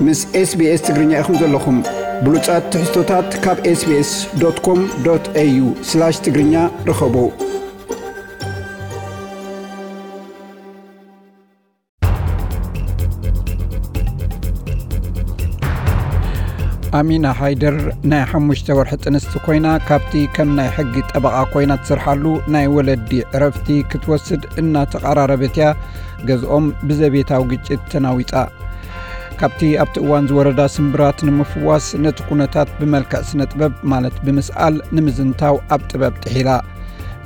ምስ SBS ትግርኛ ኢኹም ዘለኹም። ብሉጻት ትሕዝቶታት ካብ SBS.com.au/ትግርኛ ርኸቡ። ኣሚና ሓይደር ናይ ሓሙሽተ ወርሒ ጥንስቲ ኮይና፣ ካብቲ ከም ናይ ሕጊ ጠበቓ ኮይና ትሰርሓሉ ናይ ወለዲ ዕረፍቲ ክትወስድ እናተቐራረበት እያ ገዝኦም ብዘቤታዊ ግጭት ተናዊጻ። ካብቲ ኣብቲ እዋን ዝወረዳ ስምብራት ንምፍዋስ ነቲ ኩነታት ብመልክዕ ስነ ጥበብ ማለት ብምስኣል ንምዝንታው ኣብ ጥበብ ጥሒላ።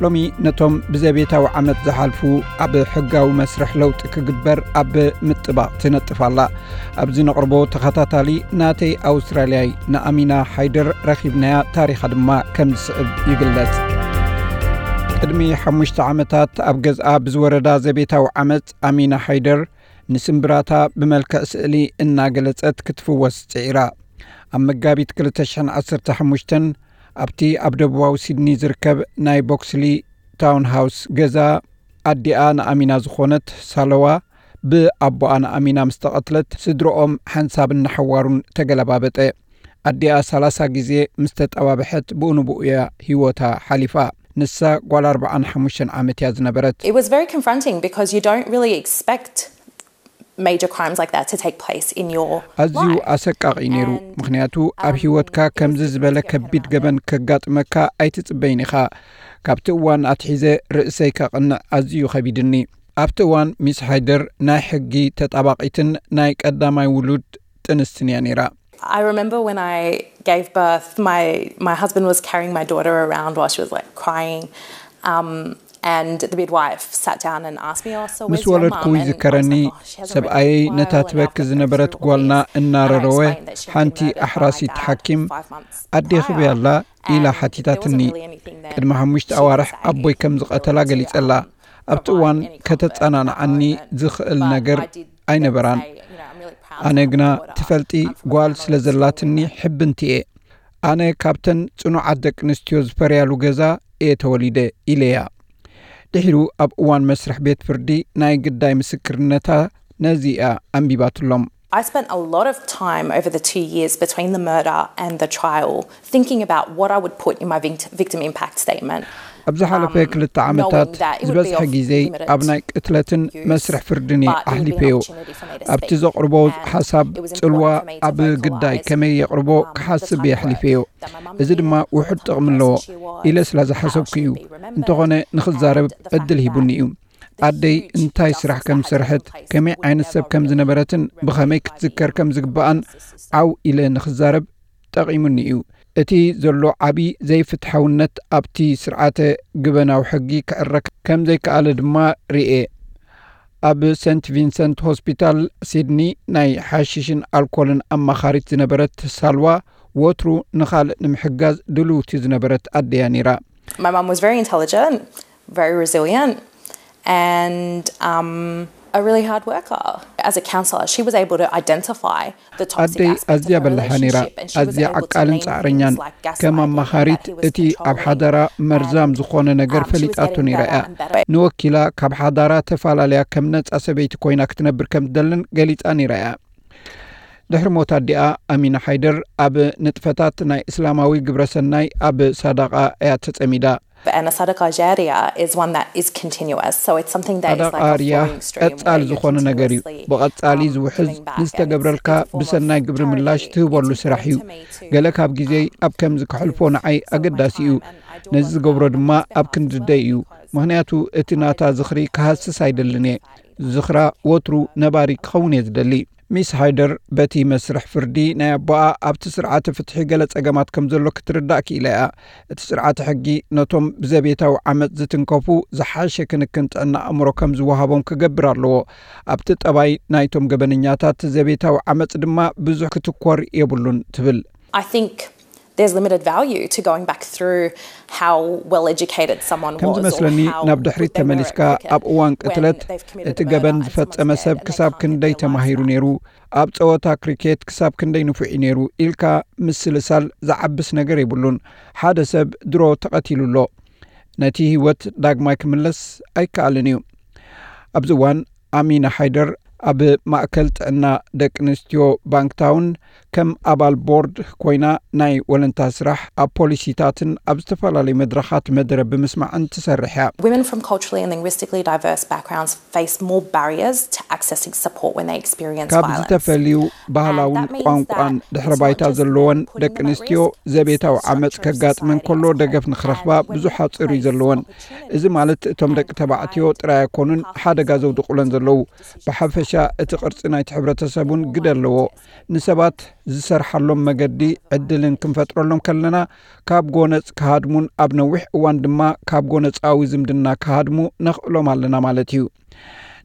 ሎሚ ነቶም ብዘቤታዊ ዓመጽ ዝሓልፉ ኣብ ሕጋዊ መስርሕ ለውጢ ክግበር ኣብ ምጥባቕ ትነጥፍ ኣላ። ኣብዚ ነቕርቦ ተኸታታሊ ናተይ ኣውስትራልያይ ንኣሚና ሓይደር ረኺብናያ፣ ታሪኻ ድማ ከም ዝስዕብ ይግለጽ። ቅድሚ ሓሙሽተ ዓመታት ኣብ ገዝኣ ብዝወረዳ ዘቤታዊ ዓመጽ ኣሚና ሓይደር ንስምብራታ ብመልክዕ ስእሊ እናገለጸት ክትፍወስ ጽዒራ። ኣብ መጋቢት ክልተ ሽሕን ዓሰርተ ሓሙሽተን ኣብቲ ኣብ ደቡባዊ ሲድኒ ዝርከብ ናይ ቦክስሊ ታውን ሃውስ ገዛ ኣዲኣ ንኣሚና ዝኾነት ሳለዋ ብኣቦኣ ንኣሚና ምስ ተቐትለት፣ ስድረኦም ሓንሳብን ንሓዋሩን ተገለባበጠ። ኣዲኣ ሰላሳ ግዜ ምስ ተጠባብሐት ብኡ ንብኡ እያ ህይወታ ሓሊፋ። ንሳ ጓል ኣርብዓን ሓሙሽተን ዓመት እያ ዝነበረት። It was very confronting because you don't really expect major crimes like that to take place in your ኣዝዩ life. ኣሰቃቒ ነይሩ፣ And, ምኽንያቱ ኣብ um, ህይወትካ it was ከምዚ ዝበለ significant ከቢድ amount ገበን of ከጋጥመካ ኣይትጽበይን ኢኻ። ካብቲ እዋን ኣትሒዘ ርእሰይ ከቕንዕ ኣዝዩ ከቢድኒ። ኣብቲ እዋን ሚስ ሃይደር ናይ ሕጊ ተጣባቒትን ናይ ቀዳማይ ውሉድ ጥንስትን እያ ነይራ። I remember when I gave birth, my, my husband was carrying my daughter around while she was, like, crying. Um, and the midwife sat down and asked me, "Oh, so ምስ where's your ወለድኩ mum?" And I was ይዝከረኒ፣ like, "Oh, she hasn't ሰብኣየይ reacted ነታ well enough ትበኪ that ዝነበረት they're ጓልና all these." እናረረወ፣ And I explained that she'd ሓንቲ been murdered ኣሕራሲት by my dad ሓኪም፣ five months ኣዴኺ prior. በይ ኣላ? ኢላ And there ሓቲታትኒ። Wasn't really anything that ቅድሚ ሓሙሽተ she could ኣዋርሕ say ኣቦይ ከም ዝቐተላ to ገሊጸላ። Abort. There ኣብቲ weren't እዋን any comfort ከተጸናንዓኒ at the moment, ዝኽእል but ነገር I did then ኣይነበራን። Say, you know, "I'm really proud to have a daughter. I'm from a family that's still in the ኣነ ግና ትፈልጢ ጓል ስለ ዘላትኒ ሕብንቲ እየ። ኣነ ካብተን ጽኑዓት ደቂ ኣንስትዮ ዝፈርያሉ ገዛ እየ ተወሊደ" ኢለያ። ድሒሩ ኣብ እዋን መስርሕ ቤት ፍርዲ ናይ ግዳይ ምስክርነታ ነዚ እያ ኣንቢባትሎም። I spent a lot of time over the two years between the murder and the trial thinking about what I would put in my vict-, victim impact statement. ኣብ ዝሓለፈ ክልተ ዓመታት ዝበዝሐ ግዜይ ኣብ ናይ ቅትለትን መስርሕ ፍርድን እየ ኣሕሊፈዮ። ኣብቲ ዘቕርቦ ሓሳብ ጽልዋ ኣብ ግዳይ ከመይ የቕርቦ ክሓስብ እየ ኣሕሊፈዮ። እዚ ድማ ውሑድ ጥቕሚ ኣለዎ ኢለ ስለ ዝሓሰብኩ እዩ። እንተኾነ ንኽዛረብ ዕድል ሂቡኒ እዩ። ኣደይ እንታይ ስራሕ ከም ዝሰርሐት፣ ከመይ ዓይነት ሰብ ከም ዝነበረትን ብኸመይ ክትዝከር ከም ዝግብኣን ዓው ኢለ ንኽዛረብ ጠቒሙኒ እዩ። እቲ ዘሎ ዓቢ ዘይፍትሓውነት ኣብቲ ስርዓተ ግበናዊ ሕጊ ክዕረ ከም ዘይከኣለ ድማ ርእየ። ኣብ ሰንት ቪንሰንት ሆስፒታል ሲድኒ ናይ ሓሽሽን ኣልኮልን ኣማኻሪት ዝነበረት ሳልዋ፣ ወትሩ ንኻልእ ንምሕጋዝ ድልውቲ ዝነበረት ኣደያ ነይራ። My mum was very intelligent, very resilient, and, um, a really hard worker. As a counsellor, she was able to identify ኣደይ ኣዝያ በላሓ ነይራ፣ ኣዝያ ዓቃልን ጻዕረኛን። ከም ኣማኻሪት እቲ ኣብ ሓዳራ መርዛም ዝኾነ ነገር ፈሊጣቶ ነይራ እያ። ንወኪላ ካብ ሓዳራ ተፈላለያ ከም ነጻ ሰበይቲ ኮይና ክትነብር ከም ትደልን ገሊጻ ነይራ እያ። ድሕሪ ሞት ኣዲኣ ኣሚና ሓይደር ኣብ ንጥፈታት ናይ እስላማዊ ግብረሰናይ ኣብ ሳዳቃ እያ ተጸሚዳ። And a sadaqah jariyah is one that is continuous. So it's something that is like a ሳዳቃ ሪያ ቀጻሊ ዝኾነ ነገር እዩ። ብቐጻሊ ዝውሕዝ፣ ንዝተገብረልካ ብሰናይ ግብሪ ምላሽ ትህበሉ ስራሕ እዩ። ገለ ካብ ግዜይ ኣብ ከምዚ ከሕልፎ ንዓይ ኣገዳሲ እዩ። ነዚ ዝገብሮ ድማ ኣብ ክንድደይ እዩ። ምኽንያቱ እቲ ናታ ዝኽሪ ክሃስስ ኣይደልን እየ። ዝኽራ ወትሩ ነባሪ ክኸውን እየ ዝደሊ። ሚስ ሃይደር በቲ መስርሕ ፍርዲ ናይ ኣቦኣ ኣብቲ ስርዓተ ፍትሒ ገለ ጸገማት ከም ዘሎ ክትርዳእ ክኢላ እያ። እቲ ስርዓተ ሕጊ ነቶም ብዘቤታዊ ዓመጽ ዝትንከፉ ዝሓሸ ክንክን ጥዕና ኣእምሮ ከም ዝወሃቦም ክገብር ኣለዎ። ኣብቲ ጠባይ ናይቶም ገበነኛታት ዘቤታዊ ዓመጽ ድማ ብዙሕ ክትኮር የብሉን ትብል። I think there's limited value to going back through how well educated someone was. ከም ዝመስለኒ ናብ ድሕሪት ተመሊስካ ኣብ እዋን ቅትለት እቲ ገበን ዝፈጸመ ሰብ ክሳብ ክንደይ ተማሂሩ ነይሩ፣ ኣብ ጸወታ ክሪኬት ክሳብ ክንደይ ንፉዕ እዩ ነይሩ ኢልካ ምስልሳል ዝዓብስ ነገር የብሉን። ሓደ ሰብ ድሮ ተቐቲሉ ኣሎ። ነቲ ህይወት ዳግማይ ክምለስ ኣይከኣልን እዩ። ኣብዚ እዋን ኣሚና ሓይደር ኣብ ማእከል ጥዕና ደቂ ኣንስትዮ ባንክታውን ከም ኣባል ቦርድ ኮይና ናይ ወለንታ ስራሕ ኣብ ፖሊሲታትን ኣብ ዝተፈላለዩ መድረኻት መደረ ብምስማዕን ትሰርሕ እያ። Women from culturally and linguistically diverse backgrounds face more barriers to accessing support when they experience ካብ violence. ዝተፈልዩ ባህላውን ቋንቋን ድሕረ ባይታ ዘለወን ደቂ ኣንስትዮ ዘቤታዊ ዓመፅ ከጋጥመን ከሎ ደገፍ ንክረኽባ ብዙሕ ሓፂር እዩ ዘለወን። እዚ ማለት እቶም ደቂ ተባዕትዮ ጥራይ ኣይኮኑን ሓደጋ ዘውድቑለን ዘለዉ። ብሓፈሻ እቲ ቅርፂ ናይቲ ሕብረተሰብ እውን ግደ ኣለዎ። ንሰባት ዝሰርሓሎም መገዲ ዕድልን ክንፈጥረሎም ከለና ካብ ጎነፅ ክሃድሙን ኣብ ነዊሕ እዋን ድማ ካብ ጎነፃዊ ዝምድና ክሃድሙ ነኽእሎም ኣለና ማለት እዩ።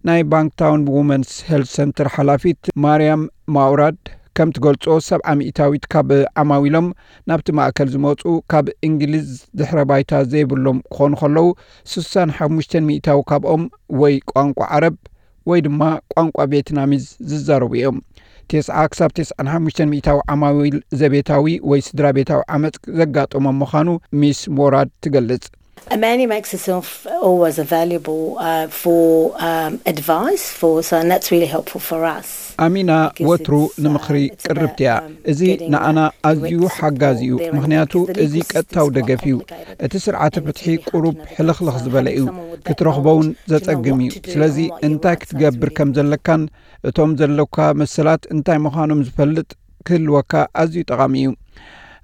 ናይ ባንክታውን ውመንስ ሄልት ሰንተር ሓላፊት ማርያም ማውራድ ከም ትገልጾ ሰብዓ ሚእታዊት ካብ ዓማዊሎም ናብቲ ማእከል ዝመጹ ካብ እንግሊዝ ድሕረ ባይታ ዘይብሎም ክኾኑ ከለዉ ስሳን ሓሙሽተን ሚእታዊ ካብኦም ወይ ቋንቋ ዓረብ ወይ ድማ ቋንቋ ቬትናሚዝ ዝዛረቡ እዮም። ተስዓ ክሳብ ተስዓን ሓሙሽተን ሚእታዊ ዓማዊል ዘቤታዊ ወይ ስድራ ቤታዊ ዓመፅ ዘጋጠሞም ምዃኑ ሚስ ሞራድ ትገልጽ። Amani makes herself always available uh, for um, advice for us, and that's really helpful for us. ኣሚና ወትሩ ንምኽሪ ቅርብቲ እያ። እዚ ንኣና ኣዝዩ ሓጋዚ እዩ፣ ምኽንያቱ እዚ ቀጥታዊ ደገፍ እዩ። እቲ ስርዓተ ፍትሒ ቁሩብ ሕልኽልኽ ዝበለ እዩ፣ ክትረኽቦ እውን ዘጸግም እዩ። ስለዚ እንታይ ክትገብር ከም ዘለካን እቶም ዘለካ መሰላት እንታይ ምዃኖም ዝፈልጥ ክህልወካ ኣዝዩ ጠቓሚ እዩ።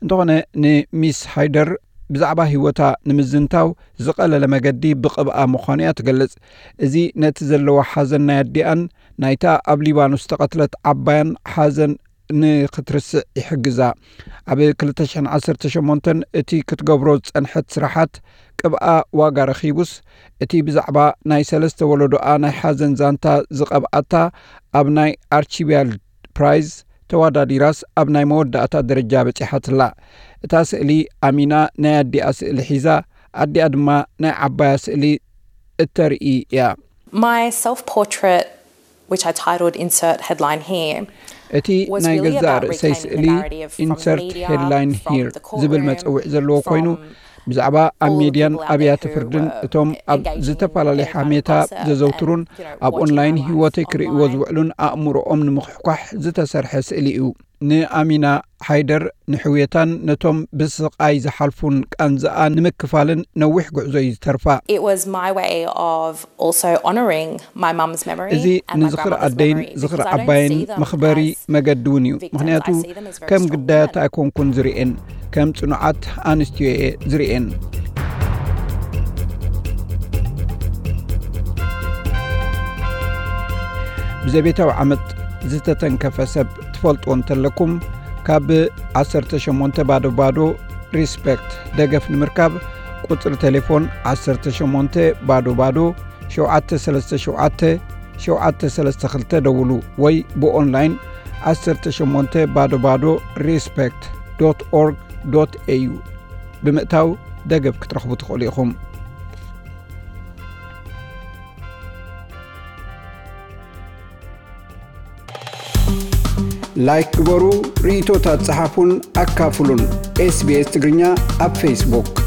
እንተኾነ ንሚስ ሃይደር ብዛዕባ ህይወታ ንምዝንታው ዝቐለለ መገዲ ብቕብኣ ምዃኑ እያ ትገልጽ። እዚ ነቲ ዘለዎ ሓዘን ናይ ኣዲኣን ናይታ ኣብ ሊባኖስ ዝተቐትለት ዓባያን ሓዘን ንኽትርስዕ ይሕግዛ። ኣብ ክልተ ሽሕን ዓሰርተ ሸሞንተን እቲ ክትገብሮ ዝጸንሐት ስራሓት ቅብኣ ዋጋ ረኺቡስ እቲ ብዛዕባ ናይ ሰለስተ ወለዶኣ ናይ ሓዘን ዛንታ ዝቐብኣታ ኣብ ናይ ኣርቺቢያልድ ፕራይዝ ተወዳዲራስ ኣብ ናይ መወዳእታ ደረጃ በጺሓትላ። እታ ስእሊ ኣሚና ናይ ኣዲኣ ስእሊ ሒዛ ኣዲኣ ድማ ናይ ዓባያ ስእሊ እተርኢ እያ። My self portrait, which I titled Insert Headline Here, እቲ ናይ ገዛእ ርእሰይ ስእሊ ኢንሰርት ሄድላይን ሂር ዝብል መጸውዒ ዘለዎ ኮይኑ ብዛዕባ ኣብ ሜድያን ኣብያተ ፍርድን እቶም ኣብ ዝተፈላለየ ሓሜታ ዘዘውትሩን ኣብ ኦንላይን ህይወተይ ክርእይዎ ዝውዕሉን ኣእምሮኦም ንምኽሕኳሕ ዝተሰርሐ ስእሊ እዩ። ንኣሚና ሓይደር ንሕውየታን ነቶም ብስቓይ ዝሓልፉን ቃንዝኣ ንምክፋልን ነዊሕ ጉዕዞ እዩ ዝተርፋ። It was my way of also honouring my mum's memory እዚ ንዝኽሪ ኣደይን ዝኽሪ ዓባይን መኽበሪ መገዲ እውን እዩ። ምኽንያቱ ከም ግዳያት ኣይኮንኩን ዝርእየን፣ ከም ጽኑዓት ኣንስትዮ እየ ዝርእየን። ብዘቤታዊ ዓመት ዝተተንከፈ ሰብ ትፈልጥዎ እንተለኩም ካብ ዓሰርተ ሸሞንተ ባዶ ባዶ ሪስፐክት ደገፍ ንምርካብ ቁጽሪ ቴሌፎን ዓሰርተ ሸሞንተ ባዶ ባዶ ሸውዓተ ሰለስተ ሸውዓተ ሸውዓተ ሰለስተ ክልተ ደውሉ ወይ ብኦንላይን ዓሰርተ ሸሞንተ ባዶ ባዶ ሪስፐክት ዶት ኦርግ ዶት ኤዩ ብምእታው ደገፍ ክትረኽቡ ትኽእሉ ኢኹም። ላይክ ግበሩ፣ ርእይቶታት ጸሓፉን ኣካፍሉን። ኤስቢኤስ ትግርኛ ኣብ ፌስቡክ።